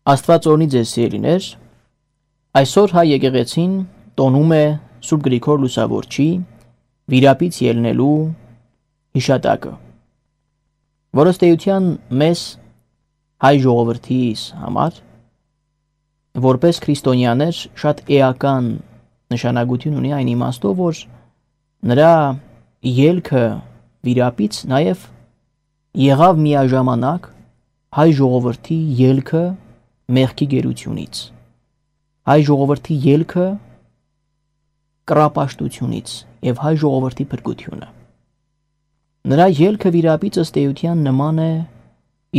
Աստված օրհնի ձեզ սիրելիներ, այսօր հայ եկեղեցին տոնում է Սուրբ Գրիգոր Լուսավորչի վիրապից ելնելու հիշատակը, որը ստեյության մեզ հայ ժողովրդիս համար որպես քրիստոնյաներ շատ էական նշանակություն ունի այն իմաստով, որ նրա ելքը վիրապից նաև եղավ միաժամանակ հայ ժողովրդի ելքը մեղքի գերությունից, հայ ժողովրդի ելքը կռապաշտությունից և հայ ժողովրդի փրկությունը։ Նրա ելքը վիրապից ըստ էության նման է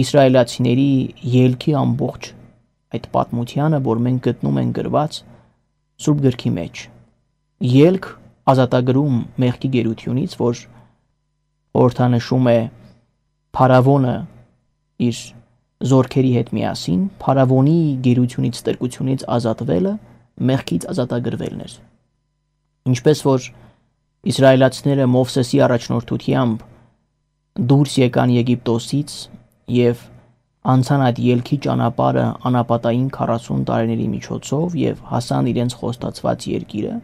իսրայելացիների ելքի ամբողջ այդ պատմությանը, որ մենք գտնում ենք գրված Սուրբ գրքի մեջ։ Ելք ազատագրում մեղքի գերությունից, որ խորհրդանշում է փարավոնը իր զորքերի հետ միասին, փարավոնի գերությունից, ստրկությունից ազատվելը, մեղքից ազատագրվելն էր։ Ինչպես որ իսրայելացիները Մովսեսի առաջնորդությամբ դուրս եկան Եգիպտոսից և անցան այդ ելքի ճանապարհը անապատային 40 տարիների միջոցով և հասան իրենց խոստացված երկիրը,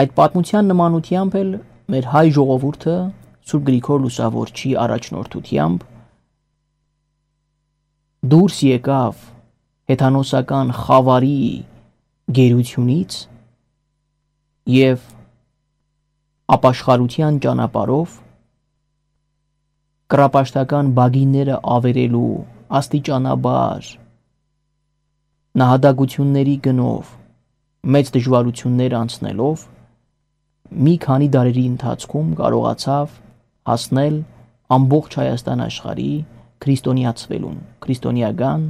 այդ պատմության նմանությամբ էլ մեր հայ ժողովուրդը Սուրբ Գրիգոր Լուսավորչի առաջնորդությամբ դուրս եկավ հեթանոսական խավարի գերությունից և ապաշխարության ճանապարհով կռապաշտական բագինները ավերելու աստիճանաբար նահատակությունների գնով մեծ դժվարություններ անցնելով մի քանի դարերի ընթացքում կարողացավ հասնել ամբողջ Հայաստան աշխարհի քրիստոնեացվելուն, քրիստոնեական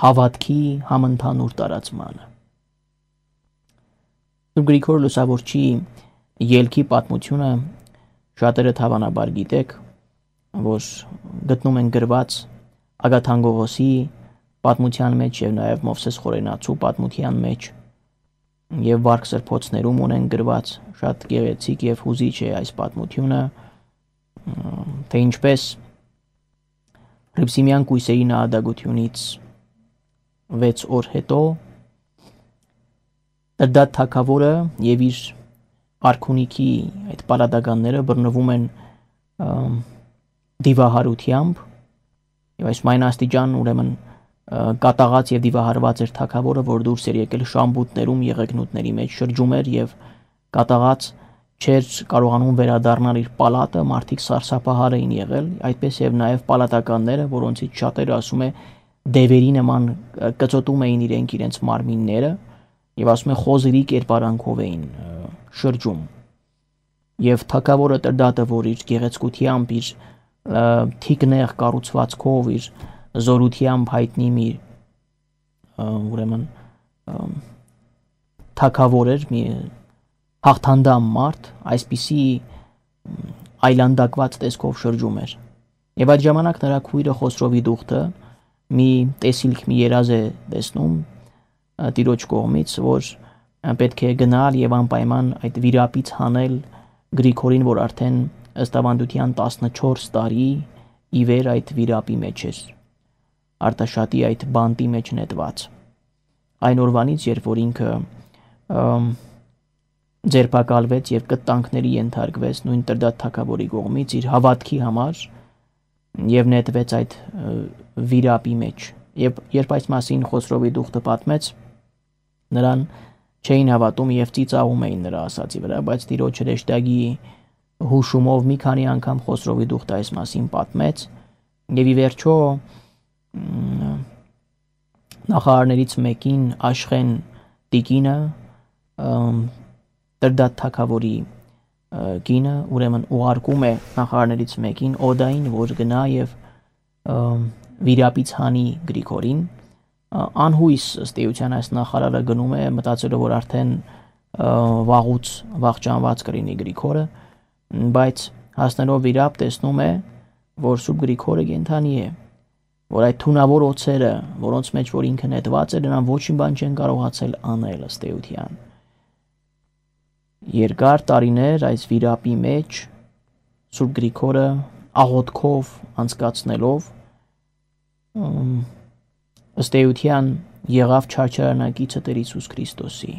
հավատքի համընդհանուր տարածմանը։ Սուրբ Գրիգոր Լուսավորչի ելքի պատմությունը շատերը հավանաբար գիտեք, որ գտնում են գրված Ագաթան Գողոսի պատմության մեջ և նաև Մովսես Խորենացու պատմության մեջ և Վարք Սրբոցներում ունեն գրված, շատ գեղեցիկ և հուզիչ է այս պատմությունը, թե ինչպես Հռիփսիմյան կույսերի նահատակությունից 6 օր հետո Էրդադ թագավորը և իր արքունիքի այդ պալատականները բռնվում են դիվահարությամբ և այս մայնաստիճան ուրեմն կատաղած և դիվահարված էր թագավորը, որ դուրս էր եկել շամբութներում եղեգնուտների մեջ շրջում էր և կատաղած չէր կարողանում վերադառնալ իր պալատը, մարդիկ սարսափահար էին եղել, այդպես և նաև պալատականները, որոնցից շատերը ասում է դևերի նման կծոտում էին իրենց մարմինները և ասում է խոզերի կերպարանքով էին շրջում։ Եվ թագավորը Տրդատը, որ իր գեղեցկությամբ, իր թիկնեղ կառուցվածքով, իր զորությամբ հայտնի մի ուրեմն թագավոր էր, մի հաղթանդամ մարդ, այսպիսի այլանդակված տեսքով շրջում էր։ Եվ այդ ժամանակ նրա քույրը Խոսրովի դուխտը մի տեսիլք, մի երազ է տեսնում տիրոջ կողմից, որ պետք է գնալ և անպայման այդ վիրապից հանել Գրիգորին, որ արդեն ըստ ավանդության 14 տարի ի վեր այդ վիրապի մեջ էր, Արտաշատի այդ բանտի մեջ նետված։ Այն օրվանից, երբ որ ինքը ձերբակալվեց և կտանքների ենթարկվեց նույն Տրդատ թագավորի կողմից իր հավատքի համար և նետվեց այդ վիրապի մեջ։ Եվ երբ այս մասին Խոսրովի դուխտը պատմեց, նրան չէին հավատում և ծիծաղում էին նրա ասածի վրա, բայց տիրոջ հրեշտակի հուշումով մի քանի անգամ Խոսրովի դուխտը այս մասին պատմեց և ի վերջո նախարարներից մեկին Աշխեն տիկինը Տրդատ թագավորի կինը ուրեմն ուղարկում է նախարարներից մեկին Օդային, որ գնա և վիրապից հանի Գրիգորին։ Անհույս ըստ էության այս նախարարը գնում է, մտածելով, որ արդեն վաղուց վախճանված կլինի Գրիգորը, բայց հասնելով վիրապ տեսնում է, որ Սուրբ Գրիգորը կենդանի է, որ այդ թունավոր օձերը, որոնց մեջ որ ինքը նետված է, նրան ոչինչ բան չեն կարողացել անել ըստ էության։ Երկար տարիներ այս վիրապի մեջ Սուրբ Գրիգորը աղոթքով անցկացնելով ըստ էության եղավ չարչարանակիցը Տեր Հիսուս Քրիստոսի։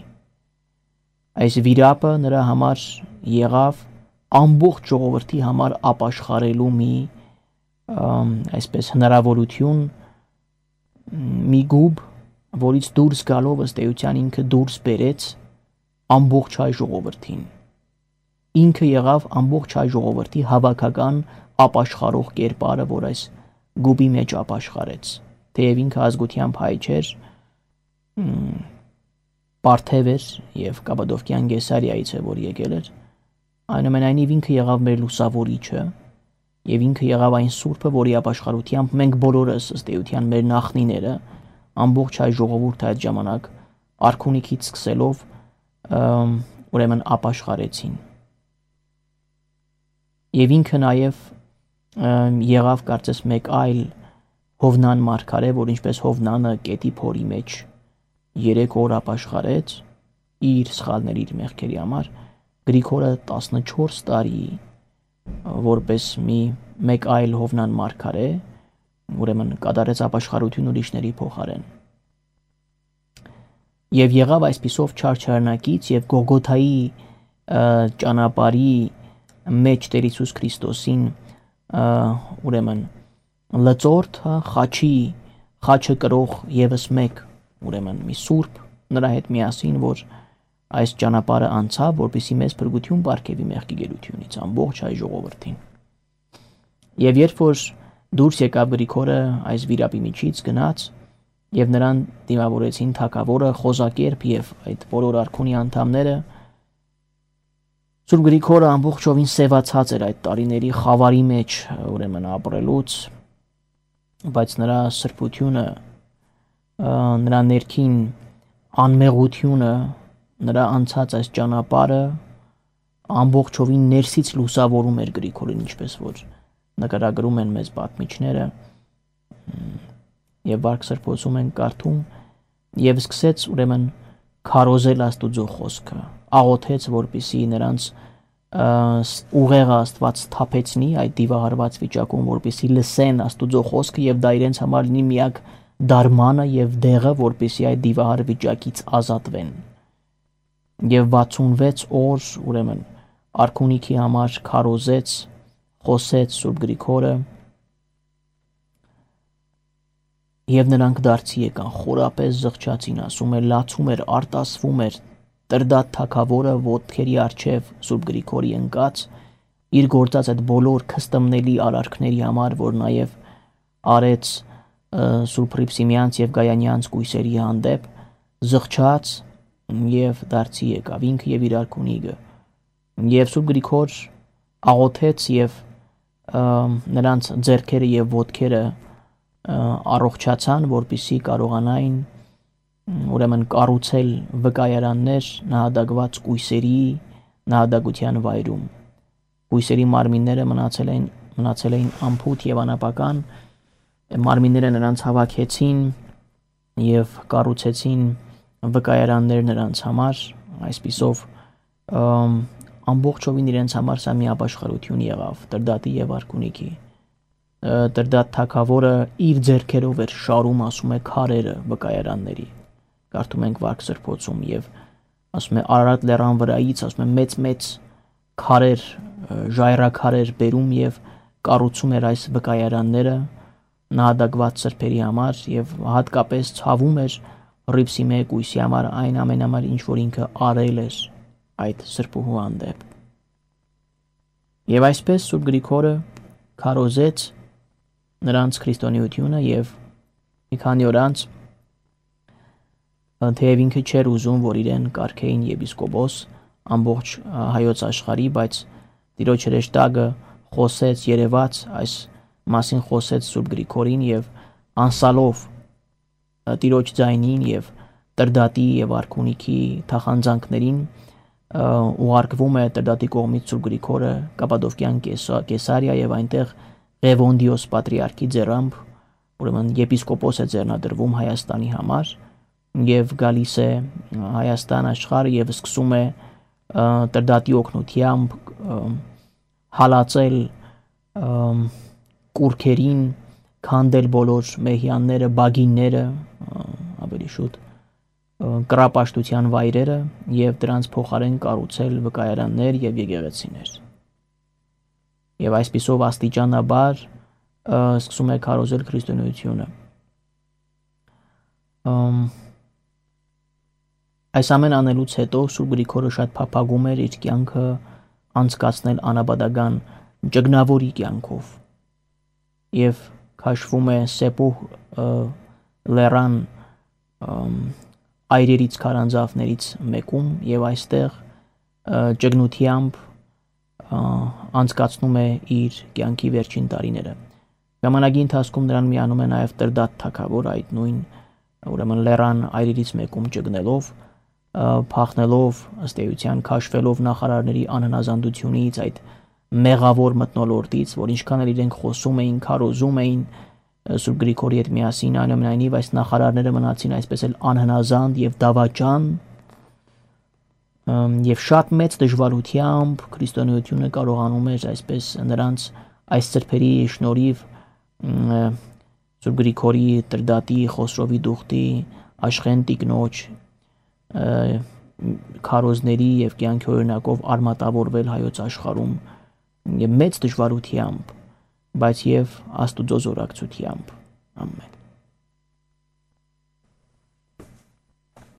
Այս վիրապը նրա համար եղավ ամբողջ ժողովրդի համար ապաշխարելու մի այսպես հնարավորություն, մի գուբ, որից դուրս գալով ըստ էության ինքը դուրս բերեց ամբողջ հայ ժողովրդին։ Ինքը եղավ ամբողջ հայ ժողովրդի հավաքական ապաշխարող կերպարը, որ այս գուբի մեջ ապաշխարեց։ Թեև ինքը ազգությամբ հայ չէր, Պարթև էր եւ Կապադովկյան Գեսարիայից է, որ եկել էր, այնուամենայնիվ ինքը եղավ մեր լուսավորիչը եւ ինքը եղավ այն սուրբը, որի ապաշխարությամբ մենք բոլորս ըստ էության մեր նախնիները ամբողջ հայ ժողովուրդը այդ ժամանակ արքունիքից սկսելով ուրեմն ապաշխարեցին։ Եվ ինքը նաեւ եղավ կարծես մեկ այլ Հովնան մարգարե, որ ինչպես Հովնանը կետի փորի մեջ 3 օր ապաշխարեց իր սխալների, իր մեղքերի համար, Գրիգորը 14 տարի որպես մեկ այլ Հովնան մարգարե, ուրեմն կատարեց ապաշխարություն ուրիշների փոխարեն։ Եվ եղավ այսպիսով չարչարանակից եւ Գողգոթայի ճանապարհի մեջ Տեր Հիսուս Քրիստոսին ուրեմն լծորդ, խաչը կրող եւս մեկ ուրեմն մի սուրբ նրա հետ միասին, որ այս ճանապարհը անցավ, որպեսզի մեզ փրկություն բարգեւի մեղքի գերությունից ամբողջ հայ ժողովրդին։ Եվ երբ որ դուրս եկավ Գրիգորը այս վիրապի միջից գնաց եւ նրան դիմավորեցին թագավորը, Խոզակերպ եւ այդ բոլոր արքունի անդամները, Սուրբ Գրիգորը ամբողջովին սևացած էր այդ տարիների խավարի մեջ ուրեմն ապրելուց, բայց նրա սրբությունը, նրա ներքին անմեղությունը, նրա անցած այս ճանապարհը ամբողջովին ներսից լուսավորում էր Գրիգորին, ինչպես որ նկարագրում են մեզ պատմիչները, եւ վարք սրբոցում են կարդում, եւ սկսեց ուրեմն քարոզել Աստուծո խոսքը, աղոթեց, որպեսզի նրանց ուղեղը Աստված թափեցնի այդ դիվահարված վիճակում, որպեսզի լսեն Աստուծո խոսքը եւ դա իրենց համար լինի միակ դարմանը եւ դեղը, որպեսզի այդ դիվահար վիճակից ազատվեն։ Եվ 66 օր ուրեմն արքունիքի համար քարոզեց, խոսեց Սուրբ Գրիգորը, եւ նրանք դարձի եկան, խորապես զղջացին, ասում է, լացում էր, արտասվում էր, Տրդատ թագավորը ոտքերի առջև Սուրբ Գրիգորի ընկած, իր գործած այդ բոլոր քստմնելի արարքների համար, որ նաեւ արեց Սուրբ Հռիփսիմյանց եւ Գայանյանց կույսերի հանդեպ, զղջաց եւ դարձի եկավ ինքը եւ իր արքունիքը։ Եվ Սուրբ Գրիգոր աղոթեց եւ նրանց ձեռքերը եւ ոտքերը առողջացան, որպեսզի կարողանային ուրեմն կառուցել վկայարաններ նահատակված կույսերի նահատակության վայրում։ Կույսերի մարմինները մնացել էին ամփոփ եւ անապական, մարմինները նրանց հավաքեցին եւ կառուցեցին վկայարաններ նրանց համար, այսպիսով ամբողջովին իրենց համար սա մի ապաշխարություն եղավ Տրդատի եւ արքունիքի։ Տրդատ թագավորը իր ձեռքերով էր շարում, ասում է, քարերը վկայարանների, կարդում ենք վարք սրբոցում, եւ ասում է Արարատ լեռան վրայից, ասում է մեծ քարեր, ժայռաքարեր բերում եւ կառուցում էր այս վկայարանները նահատակված սրբերի համար եւ հատկապես ցավում էր Հռիփսիմե կույսի համար, այն ամենամար ինչ որ ինքը արել էր այդ սրբուհու հանդեպ։ Եվ այսպես Սուրբ Գրիգորը քարոզեց նրանց քրիստոնեությունը եւ մի քանի օր անց թեև ինքը չէր ուզում, որ իրեն կարգեին եպիսկոպոս ամբողջ հայոց աշխարհի, բայց Տիրոջ հրեշտակը խոսեց, երևաց այս մասին խոսեց Սուրբ Գրիգորին եւ անսալով Տիրոջ ձայնին եւ Տրդատի եւ արքունիքի թախանձանքներին ուղարկվում է Տրդատի կողմից Սուրբ Գրիգորը Կապադովկյան Կեսարիա եւ այնտեղ Ղևոնդիոս պատրիարքի ձեռամբ ուրեմն եպիսկոպոս է ձեռնադրվում Հայաստանի համար եւ գալիս է Հայաստան աշխարհ եւ սկսում է Տրդատի օգնությամբ հալածել կուրքերին քանդել բոլոր մեհյանները, բագինները, ավելի շուտ կռապաշտության վայրերը եւ դրանց փոխարեն կառուցել վկայարաններ եւ եկեղեցիներ։ Եվ այսպիսով աստիճանաբար սկսում է քարոզել քրիստոնեությունը։ Այս ամեն անելուց հետո Սուրբ Գրիգորը շատ փափագում էր իր կյանքը անցկացնել անաբադական ճգնավորի կյանքով եւ քաշվում է Սեպուհ լեռան այրերից քարանձավներից մեկում եւ այստեղ ճգնությամբ անցկացնում է իր կյանքի վերջին տարիները։ Ժամանակի ընթացքում նրան միանում է նաեւ Տրդատ թագավոր այդ նույն ուրեմն լեռան այրերից մեկում ճգնելով, փախնելով ըստ էության քաշվելով նախարարների անհնազանդությունից, այդ մեղավոր մթնոլորտից, որ ինչքան էլ իրենք խոսում էին, քարոզում էին Սուրբ Գրիգորի հետ միասին, այնուամենայնիվ այս նախարարները մնացին այսպես էլ անհնազանդ եւ դավաճան, եւ շատ մեծ դժվարությամբ քրիստոնեությունը կարողանում էր այսպես նրանց այս ծրփերի շնորհիվ Սուրբ Գրիգորի, Տրդատի, Խոսրովի Դուխտի, Աշխեն Տիկնոջ քարոզների եւ կյանքի օրինակով արմատավորվել հայոց աշխարհում եւ մեծ դժվարությամբ, բայց եւ Աստուծո զորակցությամբ։ Ամեն։